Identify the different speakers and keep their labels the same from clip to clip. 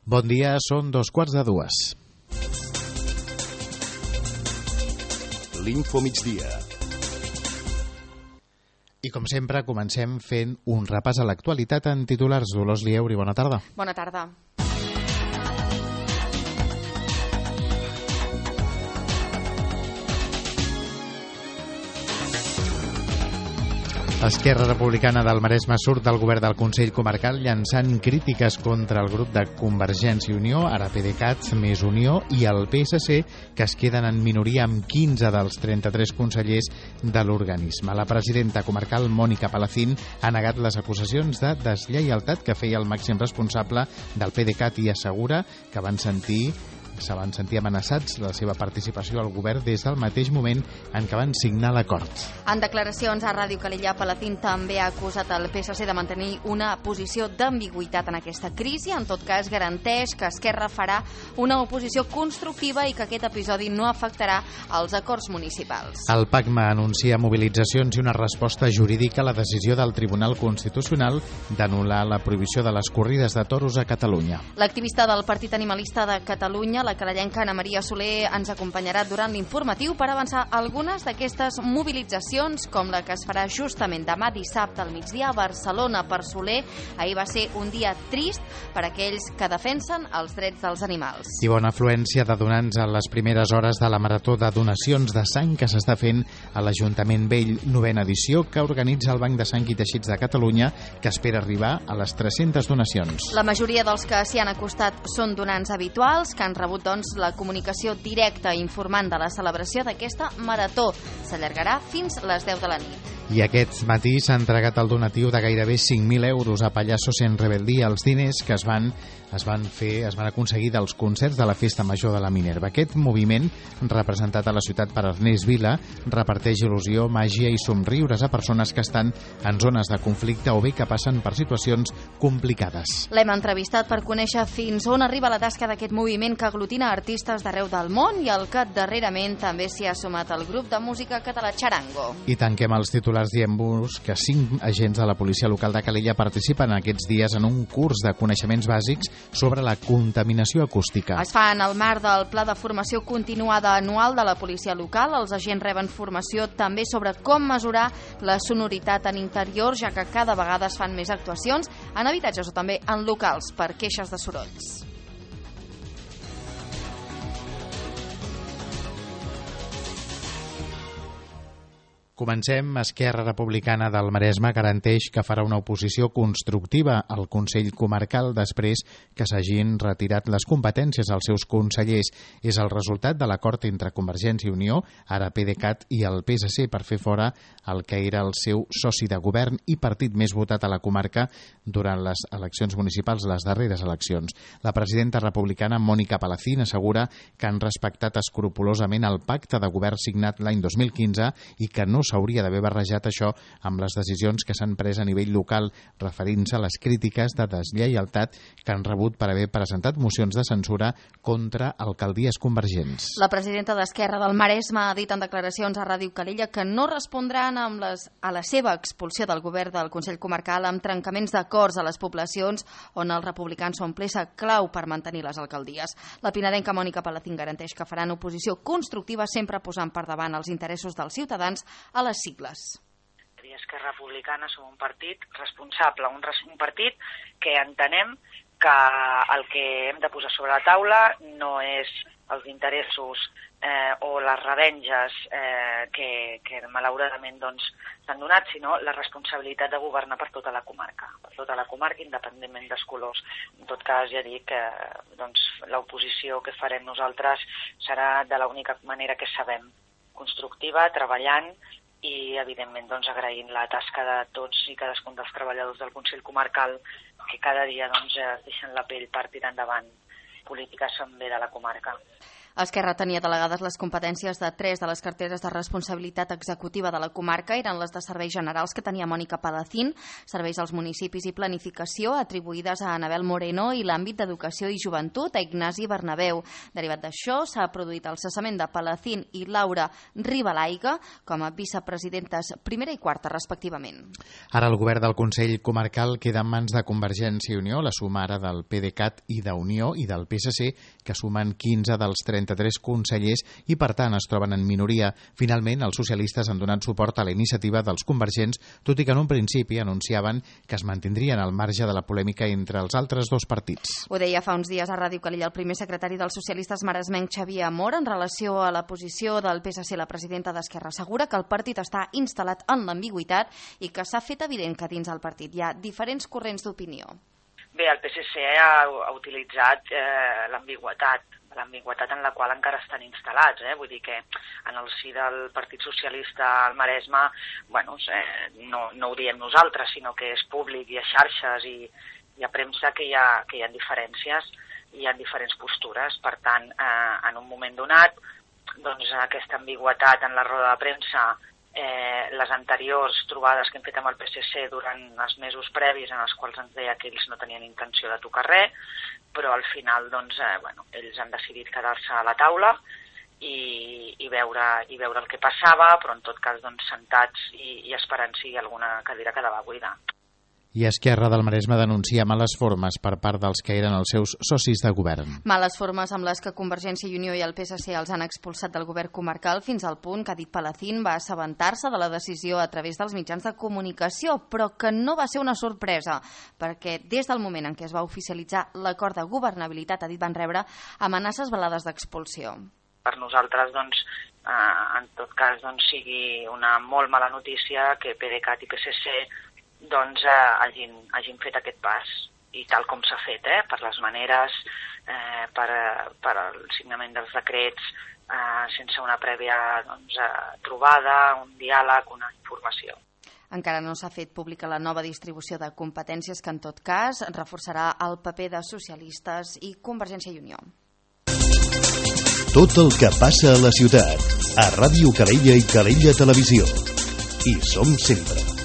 Speaker 1: Bon dia, són 2:15.
Speaker 2: L'Info Migdia.
Speaker 1: I com sempre, comencem fent un repàs a l'actualitat en titulars. Dolors Lieuri, bona tarda.
Speaker 3: Bona tarda.
Speaker 1: Esquerra Republicana del Maresme surt del govern del Consell Comarcal llançant crítiques contra el grup de Convergència i Unió, ara PDeCAT, més Unió, i el PSC, que es queden en minoria amb 15 dels 33 consellers de l'organisme. La presidenta comarcal, Mònica Palacín, ha negat les acusacions de deslleialtat que feia el màxim responsable del PDeCAT i assegura que se van sentir amenaçats de la seva participació al govern des del mateix moment en què van signar l'acord.
Speaker 3: En declaracions a Ràdio Calella, Palacín també ha acusat el PSC de mantenir una posició d'ambigüitat en aquesta crisi. En tot cas, garanteix que Esquerra farà una oposició constructiva i que aquest episodi no afectarà els acords municipals.
Speaker 1: El PACMA anuncia mobilitzacions i una resposta jurídica a la decisió del Tribunal Constitucional d'anul·lar la prohibició de les corrides de toros a Catalunya.
Speaker 3: L'activista del Partit Animalista de Catalunya, la carallenca Ana Maria Soler, ens acompanyarà durant l'informatiu per avançar algunes d'aquestes mobilitzacions, com la que es farà justament demà dissabte al migdia a Barcelona. Per Soler, ahir va ser un dia trist per a aquells que defensen els drets dels animals.
Speaker 1: I bona afluència de donants a les primeres hores de la marató de donacions de sang que s'està fent a l'Ajuntament Vell, 9ª edició, que organitza el Banc de Sang i Teixits de Catalunya, que espera arribar a les 300 donacions.
Speaker 3: La majoria dels que s'hi han acostat són donants habituals, que han rebut la comunicació directa informant de la celebració d'aquesta marató. S'allargarà fins les 10 de la nit.
Speaker 1: I aquest matí s'ha entregat el donatiu de gairebé 5.000 euros a Pallassos en Rebeldia, els diners que es van aconseguir dels concerts de la Festa Major de la Minerva. Aquest moviment, representat a la ciutat per Ernest Vila, reparteix il·lusió, màgia i somriures a persones que estan en zones de conflicte o bé que passen per situacions complicades.
Speaker 3: L'hem entrevistat per conèixer fins on arriba la tasca d'aquest moviment que aglutina artistes d'arreu del món i al que darrerament també s'hi ha sumat el grup de música català Charango.
Speaker 1: I tanquem els titulars dient-vos que 5 agents de la policia local de Calella participen aquests dies en un curs de coneixements bàsics sobre la contaminació acústica.
Speaker 3: Es fa en el marc del Pla de Formació Continuada Anual de la policia local. Els agents reben formació també sobre com mesurar la sonoritat en interior, ja que cada vegada es fan més actuacions en habitatges o també en locals per queixes de sorolls.
Speaker 1: Comencem. Esquerra Republicana del Maresme garanteix que farà una oposició constructiva al Consell Comarcal després que s'hagin retirat les competències als seus consellers. És el resultat de l'acord entre Convergència i Unió, ara PDeCAT, i el PSC per fer fora el que era el seu soci de govern i partit més votat a la comarca durant les eleccions municipals, les darreres eleccions. La presidenta republicana, Mònica Palacín, assegura que han respectat escrupolosament el pacte de govern signat l'any 2015 i que no s'hauria d'haver barrejat això amb les decisions que s'han pres a nivell local, referint-se a les crítiques de deslleialtat que han rebut per haver presentat mocions de censura contra alcaldies convergents.
Speaker 3: La presidenta d'Esquerra del Maresme ha dit en declaracions a Ràdio Calella que no respondran a la seva expulsió del govern del Consell Comarcal amb trencaments d'acords a les poblacions on els republicans són peça clau per mantenir les alcaldies. La pinadenca Mònica Palacín garanteix que faran oposició constructiva sempre posant per davant els interessos dels ciutadans a les sigles.
Speaker 4: Esquerra Republicana som un partit responsable, un partit que entenem que el que hem de posar sobre la taula no és els interessos o les revenges que malauradament s'han donat, sinó la responsabilitat de governar per tota la comarca, independentment dels colors. En tot cas, ja dic que l'oposició que farem nosaltres serà de l'única manera que sabem, constructiva, treballant i, evidentment, agraint la tasca de tots i cadascun dels treballadors del Consell Comarcal que cada dia deixen la pell per tirar endavant polítiques en bé de la comarca.
Speaker 3: Esquerra tenia delegades les competències de 3 de les carteres de responsabilitat executiva de la comarca. Eren les de Serveis Generals, que tenia Mònica Palacín, Serveis als Municipis i Planificació, atribuïdes a Anabel Moreno, i l'àmbit d'Educació i Joventut a Ignasi Bernabéu. Derivat d'això, s'ha produït el cessament de Palacín i Laura Ribalaiga com a vicepresidentes primera i quarta, respectivament.
Speaker 1: Ara el govern del Consell Comarcal queda en mans de Convergència i Unió, la suma ara del PDeCAT i d'Unió i del PSC, que sumen 15 dels 33 consellers i, per tant, es troben en minoria. Finalment, els socialistes han donat suport a la iniciativa dels convergents, tot i que en un principi anunciaven que es mantindrien al marge de la polèmica entre els altres dos partits.
Speaker 3: Ho deia fa uns dies a Ràdio Calella el primer secretari dels socialistes maresmenc, Xavier Amor, en relació a la posició del PSC. La presidenta d'Esquerra assegura que el partit està instal·lat en l'ambigüitat i que s'ha fet evident que dins el partit hi ha diferents corrents d'opinió.
Speaker 4: Bé, el PSC ha utilitzat l'ambigüitat en la qual encara estan instal·lats. Vull dir que en el si del Partit Socialista al Maresme, no ho diem nosaltres, sinó que és públic i a xarxes i a premsa que hi ha diferències, hi ha diferents postures. Per tant, en un moment donat, doncs aquesta ambigüitat en la roda de premsa, les anteriors trobades que hem fet amb el PSC durant els mesos previs, en els quals ens deia que ells no tenien intenció de tocar res, però al final ells han decidit quedar-se a la taula i veure el que passava, però en tot cas sentats i esperant si alguna cadira quedava buida.
Speaker 1: I Esquerra del Maresme denuncia males formes per part dels que eren els seus socis de govern.
Speaker 3: Males formes amb les que Convergència i Unió i el PSC els han expulsat del govern comarcal, fins al punt que, ha dit Palacín, va assabentar-se de la decisió a través dels mitjans de comunicació, però que no va ser una sorpresa, perquè des del moment en què es va oficialitzar l'acord de governabilitat, ha dit, van rebre amenaces velades d'expulsió.
Speaker 4: Per nosaltres, en tot cas, sigui una molt mala notícia que PDeCAT i PSC hagin fet aquest pas, i tal com s'ha fet, per les maneres, per el signament dels decrets, sense una prèvia trobada, un diàleg, una informació.
Speaker 3: Encara no s'ha fet pública la nova distribució de competències, que en tot cas reforçarà el paper de socialistes i Convergència i Unió.
Speaker 2: Tot el que passa a la ciutat, a Ràdio Calella i Calella Televisió. Hi som sempre.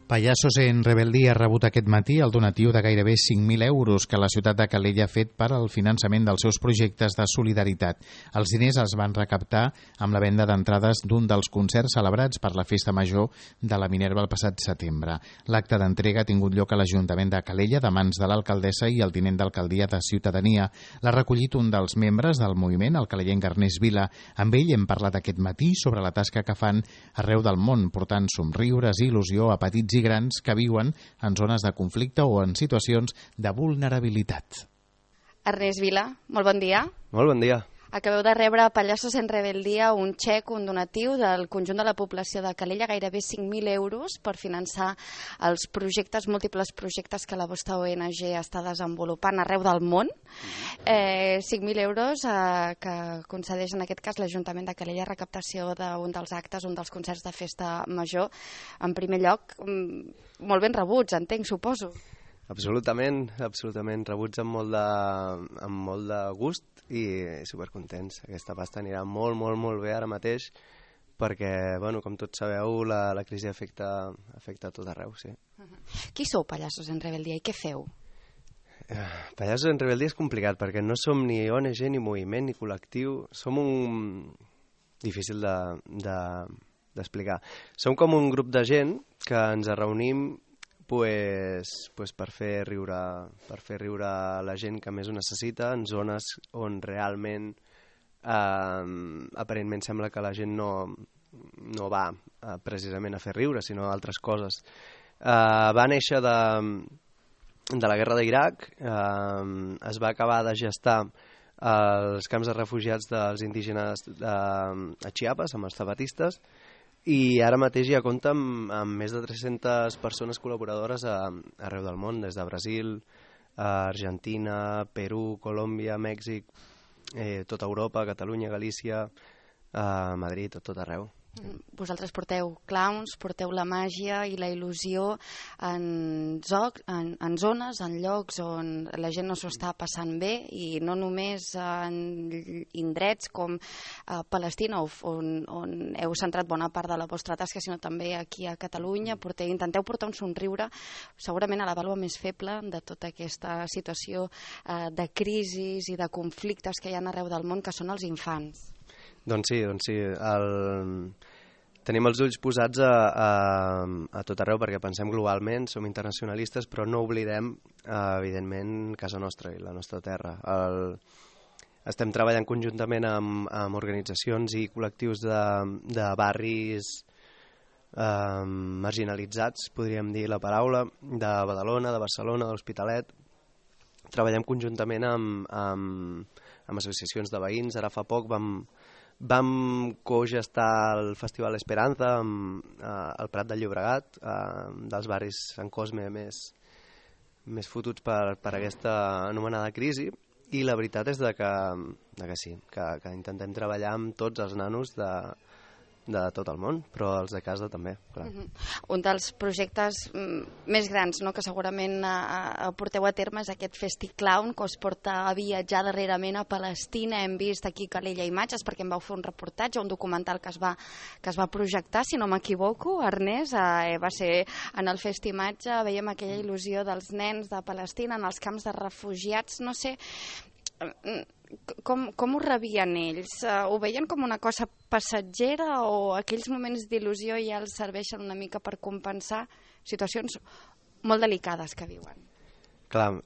Speaker 1: Payasos en Rebeldia ha rebut aquest matí el donatiu de gairebé 5.000 euros que la ciutat de Calella ha fet per al finançament dels seus projectes de solidaritat. Els diners es van recaptar amb la venda d'entrades d'un dels concerts celebrats per la Festa Major de la Minerva el passat setembre. L'acte d'entrega ha tingut lloc a l'Ajuntament de Calella de mans de l'alcaldessa i el tinent d'alcaldia de Ciutadania. L'ha recollit un dels membres del moviment, el calellenc Ernest Vila. Amb ell hem parlat aquest matí sobre la tasca que fan arreu del món, portant somriures i il·lusió a petits i grans que viuen en zones de conflicte o en situacions de vulnerabilitat.
Speaker 3: Ernest Vila, molt bon dia.
Speaker 5: Molt bon dia.
Speaker 3: Acabeu de rebre a Payasos en Rebeldia un xec, un donatiu del conjunt de la població de Calella, gairebé 5.000 euros per finançar els múltiples projectes que la vostra ONG està desenvolupant arreu del món. 5.000 euros que concedeix en aquest cas l'Ajuntament de Calella, recaptació d'un dels actes, un dels concerts de Festa Major. En primer lloc, molt ben rebuts, entenc, suposo.
Speaker 5: Absolutament, rebuts amb molt de gust i supercontents. Aquesta pasta anirà molt bé ara mateix perquè, com tots sabeu, la crisi afecta a tot arreu, sí.
Speaker 3: Qui sou Payasos en Rebeldia i què feu?
Speaker 5: Payasos en Rebeldia és complicat perquè no som ni ONG, ni moviment, ni col·lectiu. Som difícil d'explicar. Som com un grup de gent que ens reunim per fer riure la gent que més ho necessita en zones on realment aparentment sembla que la gent no va precisament a fer riure, sinó a altres coses. Va néixer de la guerra d'Iraq, es va acabar de gestar als camps de refugiats dels indígenes a Chiapas, amb els zapatistes, i ara mateix ja compta amb més de 300 persones col·laboradores arreu del món, des de Brasil, Argentina, Perú, Colòmbia, Mèxic, tota Europa, Catalunya, Galícia, Madrid, tot arreu.
Speaker 3: Vosaltres porteu clowns, porteu la màgia i la il·lusió en zones, en llocs on la gent no s'ho està passant bé, i no només en indrets com Palestina, on heu centrat bona part de la vostra tasca, sinó també aquí a Catalunya. Intenteu portar un somriure segurament a la vàlua més feble de tota aquesta situació de crisis i de conflictes que hi ha arreu del món, que són els infants.
Speaker 5: Doncs sí. Tenim els ulls posats a tot arreu perquè pensem globalment, som internacionalistes, però no oblidem, evidentment, casa nostra i la nostra terra. Estem treballant conjuntament amb organitzacions i col·lectius de barris marginalitzats, podríem dir la paraula, de Badalona, de Barcelona, de l'Hospitalet. Treballem conjuntament amb associacions de veïns. Ara fa poc vam cogestar el Festival Esperanza al Prat de Llobregat, dels barris Sant Cosme més fotuts per aquesta anomenada crisi, i la veritat és que sí, que intentem treballar amb tots els nanos de tot el món, però els de casa també, clar.
Speaker 3: Un dels projectes més grans, no?, que segurament porteu a terme és aquest FestiClown, que us porta a viatjar darrerament a Palestina. Hem vist aquí Calella imatges perquè em vau fer un reportatge, un documental que es va projectar, si no m'equivoco, Ernest, va ser en el Festimatge, veiem aquella il·lusió dels nens de Palestina en els camps de refugiats. No sé, com ho rebien ells? Ho veien com una cosa passatgera, o aquells moments d'il·lusió ja els serveixen una mica per compensar situacions molt delicades que viuen?
Speaker 5: Clar,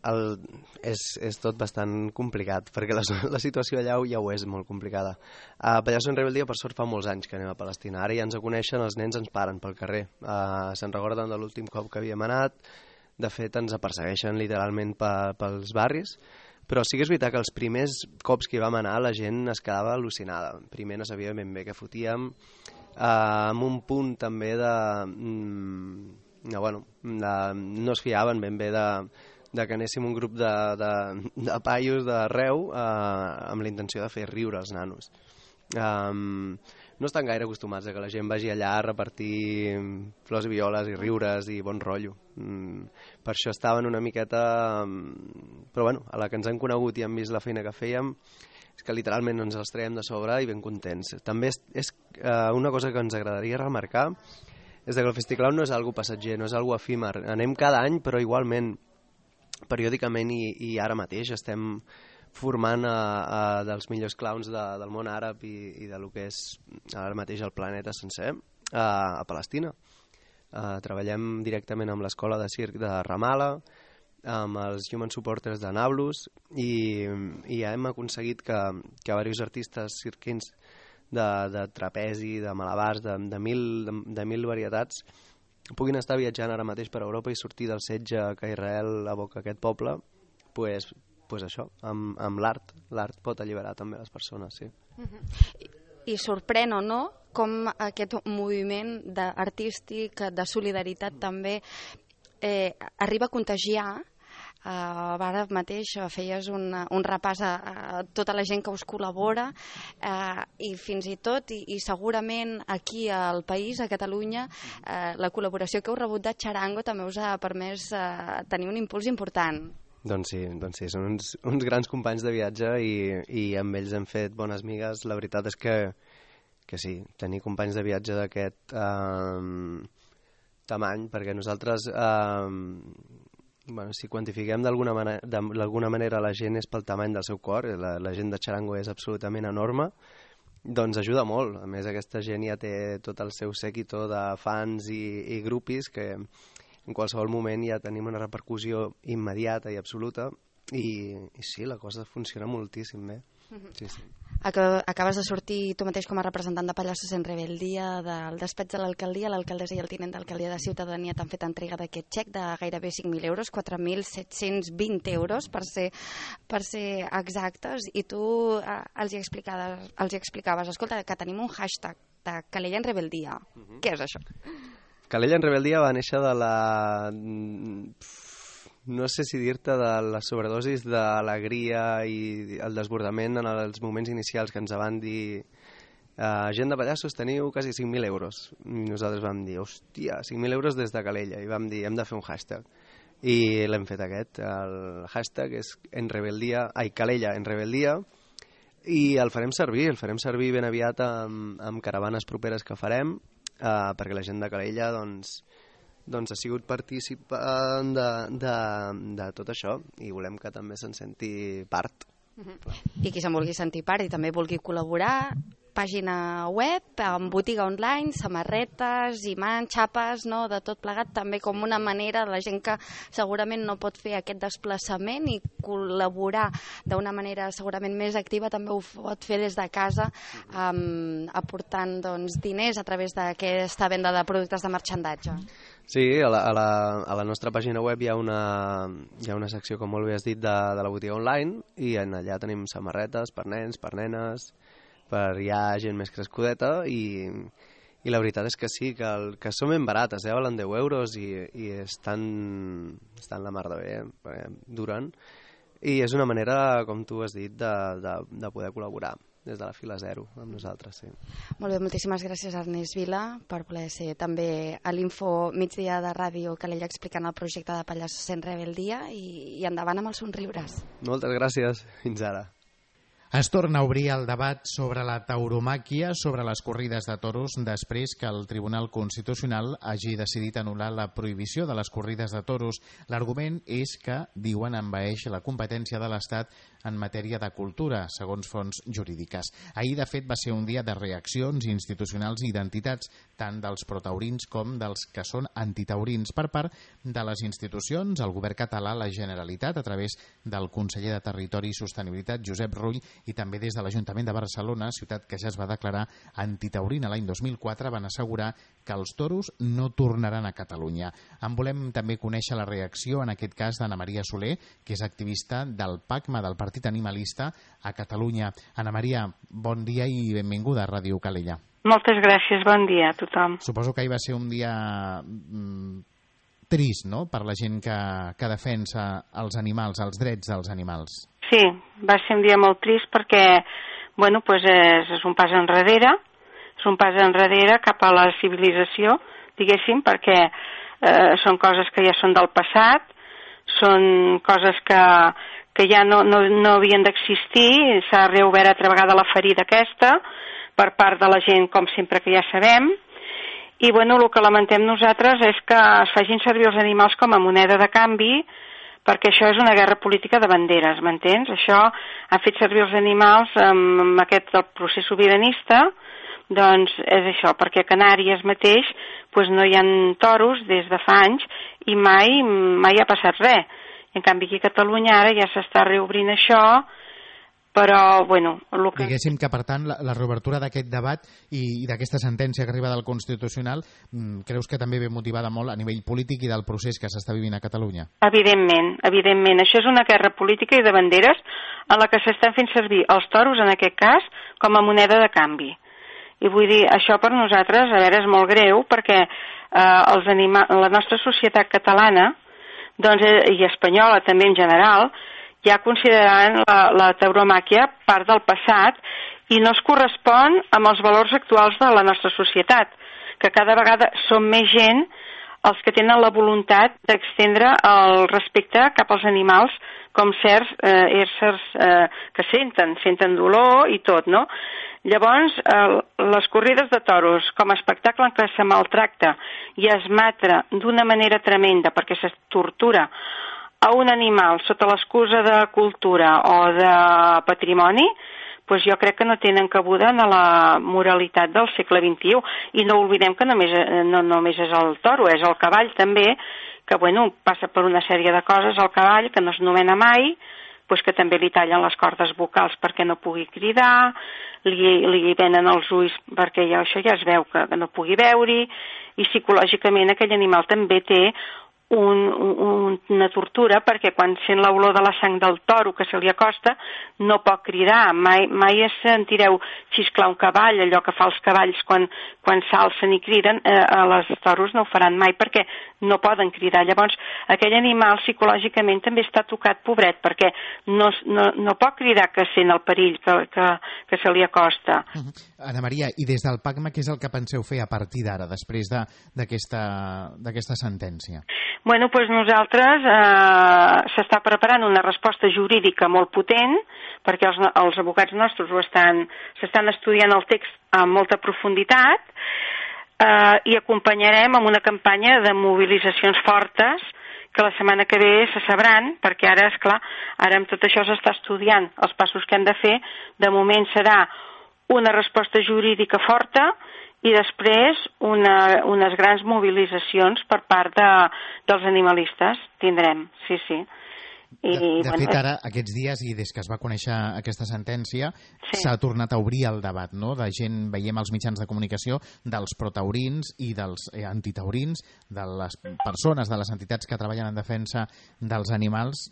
Speaker 5: és tot bastant complicat, perquè la situació allà ja ho és molt complicada. A Pallasso en Rebeldia, per sort, fa molts anys que anem a Palestina. Ara ja ens coneixen, els nens ens paren pel carrer. Se'n recorden de l'últim cop que havíem anat. De fet, ens persegueixen literalment pels barris. Però sí que és veritat que els primers cops que hi vam anar la gent es quedava al·lucinada. Primer no sabia ben bé què fotíem, amb un punt també no es fiaven ben bé de que anéssim un grup de paios d'arreu amb la intenció de fer riure els nanos. No estan gaire acostumats a que la gent vagi allà a repartir flors i violes i riures i bon rotllo. Per això estaven una miqueta... Però bueno, a la que ens han conegut i han vist la feina que fèiem, és que literalment ens els traiem de sobre i ben contents. També és una cosa que ens agradaria remarcar, és que el FestiClown no és algo passatger, no és algo efímer. Anem cada any, però igualment, periòdicament i ara mateix estem formant dels millors clowns del món àrab i de lo que és ara mateix el planeta sencer a Palestina. Treballem directament amb l'escola de circ de Ramallah, amb els Human Supporters de Nablus, i ja hem aconseguit que diversos artistes cirquins de trapezi, de malabars, de mil varietats puguin estar viatjant ara mateix per Europa i sortir del setge que Israel aboca a aquest poble, pues això, amb l'art. L'art pot alliberar també les persones, sí.
Speaker 3: I sorprèn o no com aquest moviment artístic de solidaritat també arriba a contagiar. Ara mateix feies un repàs a tota la gent que us col·labora, i fins i tot, i segurament aquí al país, a Catalunya, la col·laboració que heu rebut de Charango també us ha permès tenir un impuls important.
Speaker 5: Doncs sí, són uns grans companys de viatge i amb ells hem fet bones migues. La veritat és que sí, tenir companys de viatge d'aquest tamany, perquè nosaltres, si quantifiquem d'alguna manera la gent és pel tamany del seu cor, la gent de Charango és absolutament enorme, doncs ajuda molt. A més, aquesta gent ja té tot el seu séquito de fans i grupis que en qualsevol moment ja tenim una repercussió immediata i absoluta, i sí, la cosa funciona moltíssim bé. Sí.
Speaker 3: Acabes de sortir tu mateix com a representant de Pallassos en Rebeldia del despatx de l'alcaldia. L'alcaldessa i el tinent d'alcaldia de Ciutadania t'han fet entrega d'aquest xec de gairebé 5.000 euros, 4.720 euros per ser exactes, i tu els hi explicaves, escolta, que tenim un hashtag de Calella en Rebeldia. Què és això?
Speaker 5: Calella en Rebeldia va néixer de la... no sé si dir-te de la sobredosis d'alegria i el desbordament en els moments inicials que ens van dir gent de Pallassos teniu quasi 5.000 euros. I nosaltres vam dir, hòstia, 5.000 euros des de Calella, i vam dir, hem de fer un hashtag. I l'hem fet aquest, el hashtag és Calella en rebeldia, i el farem servir ben aviat amb caravanes properes que farem, perquè la gent de Calella doncs ha sigut participant de tot això, i volem que també se'n senti part.
Speaker 3: I qui se'n vulgui sentir part i també vulgui col·laborar, pàgina web, amb botiga online, samarretes, imants, xapes, no? De tot plegat, també com una manera de la gent que segurament no pot fer aquest desplaçament i col·laborar d'una manera segurament més activa, també ho pot fer des de casa, aportant diners a través d'aquesta venda de productes de marxandatge.
Speaker 5: Sí, a la nostra pàgina web hi ha una secció, com molt bé has dit, de la botiga online, i allà tenim samarretes per nens, per nenes, per ja gent més crescudeta, i la veritat és que sí, que són ben barates, valen 10 euros i estan la mar de bé, perquè duren, i és una manera, com tu has dit, de poder col·laborar des de la fila zero amb nosaltres, sí.
Speaker 3: Molt bé, moltíssimes gràcies, Ernest Vila, per voler ser també a l'Info Migdia de Ràdio Calella explicant el projecte de Pallassos en Rebeldia, i endavant amb els somriures.
Speaker 5: Moltes gràcies, fins ara.
Speaker 1: Es torna a obrir el debat sobre la tauromàquia, sobre les corrides de toros, després que el Tribunal Constitucional hagi decidit anul·lar la prohibició de les corrides de toros. L'argument és que, diuen, envaeix la competència de l'Estat en matèria de cultura, segons fonts jurídiques. Ahir, de fet, va ser un dia de reaccions institucionals i d'entitats, tant dels protaurins com dels que són antitaurins, per part de les institucions, el govern català, la Generalitat, a través del conseller de Territori i Sostenibilitat, Josep Rull, i també des de l'Ajuntament de Barcelona, ciutat que ja es va declarar antitaurina l'any 2004, van assegurar que els toros no tornaran a Catalunya. En volem també conèixer la reacció, en aquest cas, d'Anna Maria Soler, que és activista del PACMA, del Partit Animalista, a Catalunya. Anna Maria, bon dia i benvinguda a Ràdio Calella.
Speaker 6: Moltes gràcies, bon dia a tothom.
Speaker 1: Suposo que ahir va ser un dia trist, no?, per la gent que defensa els animals, els drets dels animals.
Speaker 6: Sí, va ser un dia molt trist perquè, bueno, pues és un pas enrere, cap a la civilització, diguéssim, perquè són coses que ja són del passat, són coses que ja no havien d'existir, s'ha reobert altra vegada la ferida aquesta per part de la gent, com sempre que ja sabem, i bueno, el que lamentem nosaltres és que es facin servir els animals com a moneda de canvi, perquè això és una guerra política de banderes, m'entens? Això ha fet servir els animals amb aquest del procés sobiranista, doncs és això, perquè a Canàries mateix pues no hi ha toros des de fa anys i mai ha passat res. En canvi aquí a Catalunya ara ja s'està reobrint això, però, bueno...
Speaker 1: Diguéssim que, per tant, la reobertura d'aquest debat i d'aquesta sentència que arriba del Constitucional, creus que també ve motivada molt a nivell polític i del procés que s'està vivint a Catalunya?
Speaker 6: Evidentment. Això és una guerra política i de banderes en la que s'estan fent servir els toros, en aquest cas, com a moneda de canvi. I vull dir, això per nosaltres, a veure, és molt greu, perquè la nostra societat catalana, doncs, i espanyola també en general, ja consideraran la tauromàquia part del passat i no es correspon amb els valors actuals de la nostra societat, que cada vegada són més gent els que tenen la voluntat d'extendre el respecte cap als animals com certs éssers que senten dolor i tot, no? Llavors, les corrides de toros com a espectacle en què se maltracta i es mata d'una manera tremenda perquè se tortura a un animal sota l'excusa de cultura o de patrimoni, doncs jo crec que no tenen cabuda en la moralitat del segle XXI. I no oblidem que no només és el toro, és el cavall també, que bueno, passa per una sèrie de coses, el cavall, que no es nomena mai, doncs que també li tallen les cordes vocals perquè no pugui cridar, li venen els ulls perquè això ja es veu que no pugui veure-hi, i psicològicament aquell animal també té una tortura, perquè quan sent l'olor de la sang del toro que se li acosta no pot cridar. Mai sentireu xisclar un cavall, allò que fa els cavalls quan s'alcen i criden. A les toros no ho faran mai perquè no poden cridar. Llavors aquell animal psicològicament també està tocat, pobret, perquè no pot cridar que sent el perill que se li acosta.
Speaker 1: Anna Maria, i des del PACMA què és el que penseu fer a partir d'ara, després d'aquesta sentència?
Speaker 6: Bueno, doncs nosaltres s'està preparant una resposta jurídica molt potent, perquè els advocats nostres s'estan estudiant el text amb molta profunditat, i acompanyarem amb una campanya de mobilitzacions fortes que la setmana que ve se sabran, perquè ara, esclar, ara amb tot això s'està estudiant els passos que hem de fer. De moment serà una resposta jurídica forta i després unes grans mobilitzacions per part dels animalistes. Tindrem, sí.
Speaker 1: De fet, ara, aquests dies, i des que es va conèixer aquesta sentència, s'ha tornat a obrir el debat, no? De gent, veiem als mitjans de comunicació, dels protaurins i dels antitaurins, de les persones, de les entitats que treballen en defensa dels animals,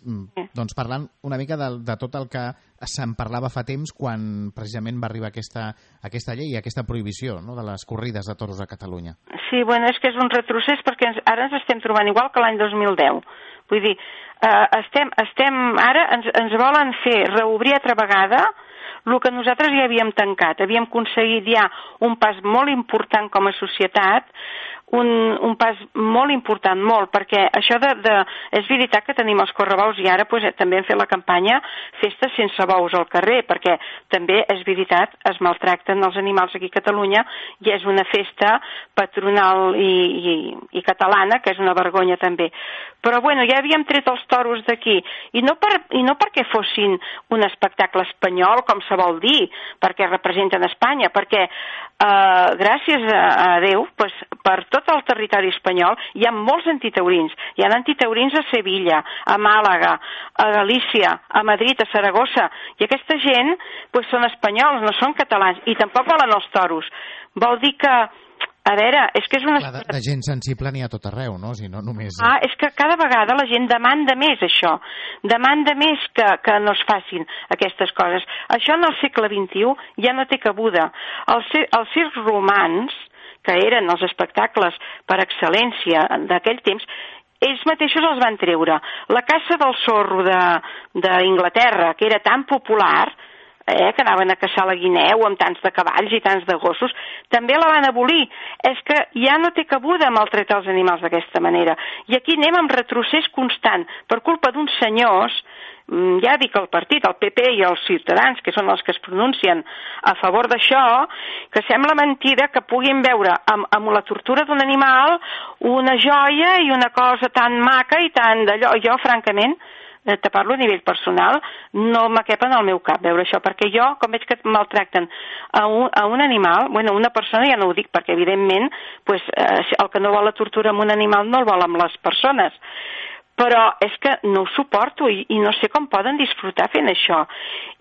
Speaker 1: doncs parlant una mica de tot el que se'n parlava fa temps quan precisament va arribar aquesta llei, aquesta prohibició, no?, de les corrides de toros a Catalunya.
Speaker 6: Sí, bueno, és que és un retrocés perquè ara ens estem trobant igual que l'any 2010. Vull dir, ara ens volen fer reobrir altra vegada el que nosaltres ja havíem tancat. Havíem aconseguit ja un pas molt important com a societat, un pas molt important, perquè això és veritat que tenim els correbous i ara també hem fet la campanya Festes sense bous al carrer, perquè també és veritat, es maltracten els animals aquí a Catalunya i és una festa patronal i catalana, que és una vergonya també. Però bueno, ja havíem tret els toros d'aquí, i no perquè fossin un espectacle espanyol, com se vol dir, perquè representen Espanya, perquè gràcies a Déu, per tot el territori espanyol hi ha molts antitaurins. Hi ha antitaurins a Sevilla, a Màlaga, a Galícia, a Madrid, a Saragossa, i aquesta gent són espanyols, no són catalans, i tampoc volen els toros. Vol dir que a veure, és que és una...
Speaker 1: Clar, de gent sensible n'hi ha tot arreu, no? Si no només...
Speaker 6: És que cada vegada la gent demanda més això. Demanda més que no es facin aquestes coses. Això en el segle XXI ja no té cabuda. Els circs romans, que eren els espectacles per excel·lència d'aquell temps, ells mateixos els van treure. La caça del zorro d'Inglaterra, que era tan popular, que anaven a caçar la guineu amb tants de cavalls i tants de gossos, també la van abolir. És que ja no té cabuda maltractar els animals d'aquesta manera. I aquí anem amb retrocés constant per culpa d'uns senyors, ja dic el partit, el PP i els Ciutadans, que són els que es pronuncien a favor d'això, que sembla mentida que puguin veure amb la tortura d'un animal una joia i una cosa tan maca i tan d'allò. Jo, francament, te parlo a nivell personal, no me cap en el meu cap veure això, perquè jo, com veig que maltracten a un animal, una persona ja no ho dic, perquè evidentment el que no vol la tortura amb un animal no el vol amb les persones, però és que no ho suporto i no sé com poden disfrutar fent això.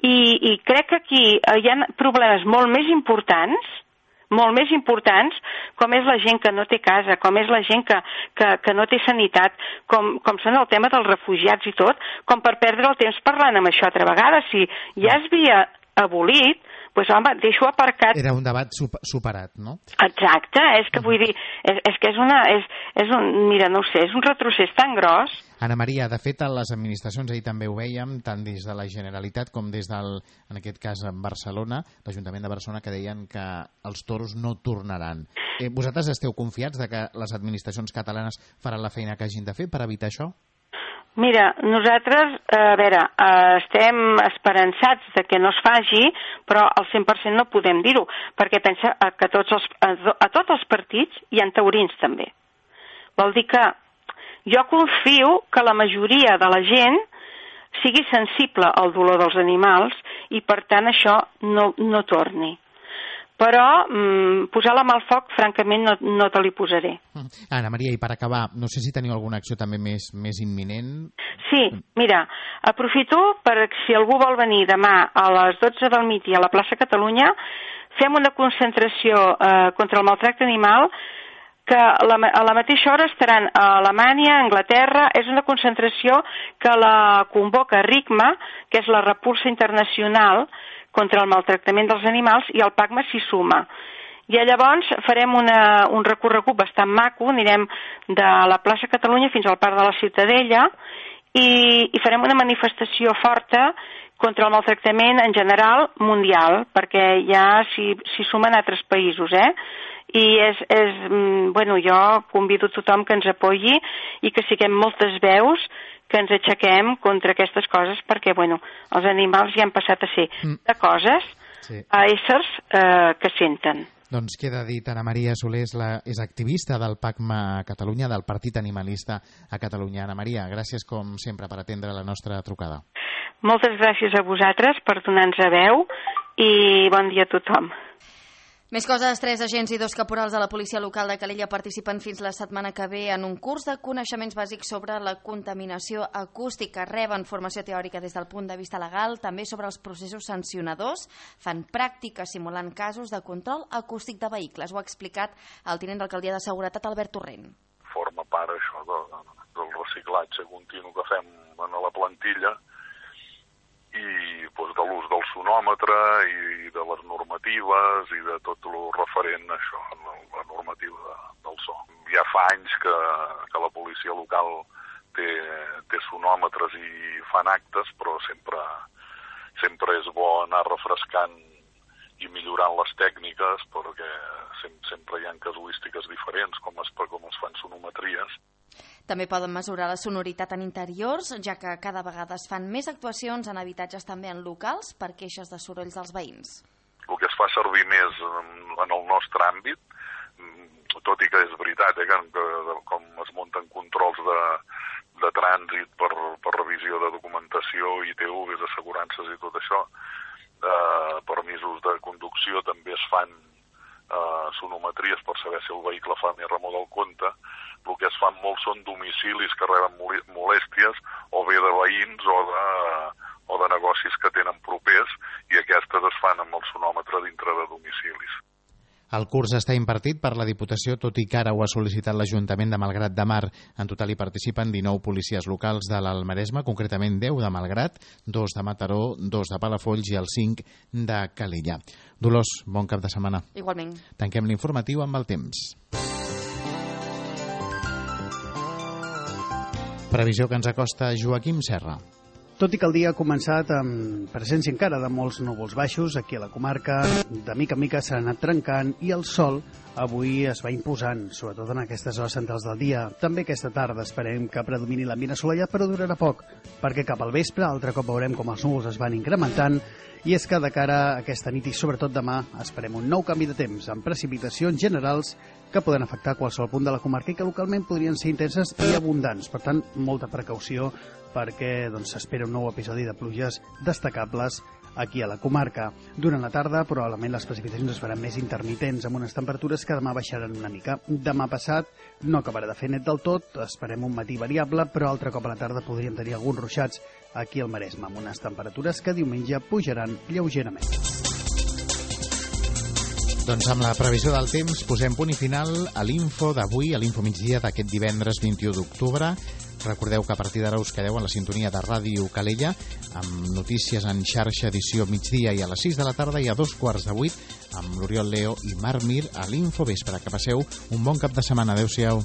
Speaker 6: I crec que aquí hi ha problemes molt més importants, com és la gent que no té casa, com és la gent que no té sanitat, com són el tema dels refugiats i tot, com per perdre el temps parlant amb això altra vegada. Si ja es havia abolit, doncs home, deixo aparcat...
Speaker 1: Era un debat superat, no?
Speaker 6: Exacte, és que vull dir, és que mira, no ho sé, és un retrocés tan gros.
Speaker 1: Anna Maria, de fet, a les administracions, ahir també ho vèiem, tant des de la Generalitat com des del, en aquest cas, Barcelona, l'Ajuntament de Barcelona, que deien que els toros no tornaran. Vosaltres esteu confiats de que les administracions catalanes faran la feina que hagin de fer per evitar això?
Speaker 6: Mira, nosaltres, estem esperançats de que no es faci, però al 100% no podem dir-ho, perquè pensa que a tots els partits hi ha taurins també. Vol dir que jo confio que la majoria de la gent sigui sensible al dolor dels animals i per tant això no torni. Però posar la mà al foc, francament, no te li posaré.
Speaker 1: Anna Maria, i per acabar, no sé si teniu alguna acció també més imminent?
Speaker 6: Sí, mira, aprofito per si algú vol venir demà a les 12 del migdia a la plaça Catalunya, fem una concentració contra el maltracte animal que a la mateixa hora estaran a Alemanya, a Anglaterra. És una concentració que la convoca RICMA, que és la Repulsa Internacional contra el Maltractament dels Animals, i el PACMA s'hi suma. I llavors farem un recorregut bastant maco, anirem de la plaça Catalunya fins al Parc de la Ciutadella i farem una manifestació forta contra el maltractament en general mundial, perquè ja s'hi sumen altres països, I jo convido tothom que ens apoyi i que siguem moltes veus que ens aixequem contra aquestes coses, perquè, els animals ja han passat a ser de coses a éssers que senten.
Speaker 1: Doncs queda dit, Ana Maria Soler és activista del PACMA a Catalunya, del Partit Animalista a Catalunya. Ana Maria, gràcies com sempre per atendre la nostra trucada.
Speaker 6: Moltes gràcies a vosaltres per donar-nos veu i bon dia a tothom.
Speaker 3: Més coses, 3 agents i 2 caporals de la policia local de Calella participen fins la setmana que ve en un curs de coneixements bàsics sobre la contaminació acústica. Reben formació teòrica des del punt de vista legal, també sobre els processos sancionadors. Fan pràctiques simulant casos de control acústic de vehicles. Ho ha explicat el tinent d'alcaldia de Seguretat, Albert Torrent.
Speaker 7: Forma part això del reciclatge continu que fem a la plantilla i de l'ús del sonòmetre i de les normatives i de tot el referent a això, la normativa del so. Ja fa anys que la policia local té sonòmetres i fan actes, però sempre és bo anar refrescant i millorant les tècniques, perquè sempre hi ha casuístiques diferents, com es fan sonometries.
Speaker 3: També poden mesurar la sonoritat en interiors, ja que cada vegada es fan més actuacions en habitatges, també en locals, per queixes de sorolls dels veïns.
Speaker 7: El que es fa servir més en el nostre àmbit, tot i que és veritat que com es munten controls de trànsit per revisió de documentació, ITVs, assegurances i tot això, permisos de conducció també es fan sonometries per saber si el vehicle fa més remor del compte. El que es fan molts són domicilis que reben molèsties o bé de veïns o de negocis que tenen propers, i aquestes es fan amb el sonòmetre dintre de domicilis.
Speaker 1: El curs està impartit per la Diputació, tot i que ara ho ha sol·licitat l'Ajuntament de Malgrat de Mar. En total hi participen 19 policies locals de l'Alt Maresme, concretament 10 de Malgrat, 2 de Mataró, 2 de Palafolls i el 5 de Calella. Dolors, bon cap de setmana.
Speaker 3: Igualment.
Speaker 1: Tanquem l'informatiu amb el temps. Previsió que ens acosta Joaquim Serra.
Speaker 8: Tot i que el dia ha començat amb presència encara de molts núvols baixos aquí a la comarca, de mica en mica s'ha anat trencant i el sol avui es va imposant, sobretot en aquestes hores centrals del dia. També aquesta tarda esperem que predomini l'ambient assolellat, però durarà poc, perquè cap al vespre altre cop veurem com els núvols es van incrementant, i és que de cara a aquesta nit i sobretot demà esperem un nou canvi de temps amb precipitacions generals que poden afectar qualsevol punt de la comarca i que localment podrien ser intenses i abundants. Per tant, molta precaució perquè s'espera un nou episodi de pluges destacables aquí a la comarca. Durant la tarda, probablement les precipitacions es faran més intermitents, amb unes temperatures que demà baixaran una mica. Demà passat no acabarà de fer net del tot, esperem un matí variable, però altre cop a la tarda podríem tenir alguns ruixats aquí al Maresme, amb unes temperatures que diumenge pujaran lleugerament.
Speaker 1: Doncs amb la previsió del temps posem punt i final a l'info d'avui, a l'info migdia d'aquest divendres 21 d'octubre. Recordeu que a partir d'ara us quedeu en la sintonia de Ràdio Calella amb notícies en xarxa edició migdia i a les 6 de la tarda i a 7:15 amb l'Oriol Leo i Marc Mir a l'Info Vespre. Que passeu un bon cap de setmana. Adéu-siau.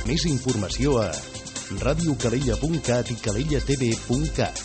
Speaker 2: Més informació a radiocalella.cat i cadellatv.cat.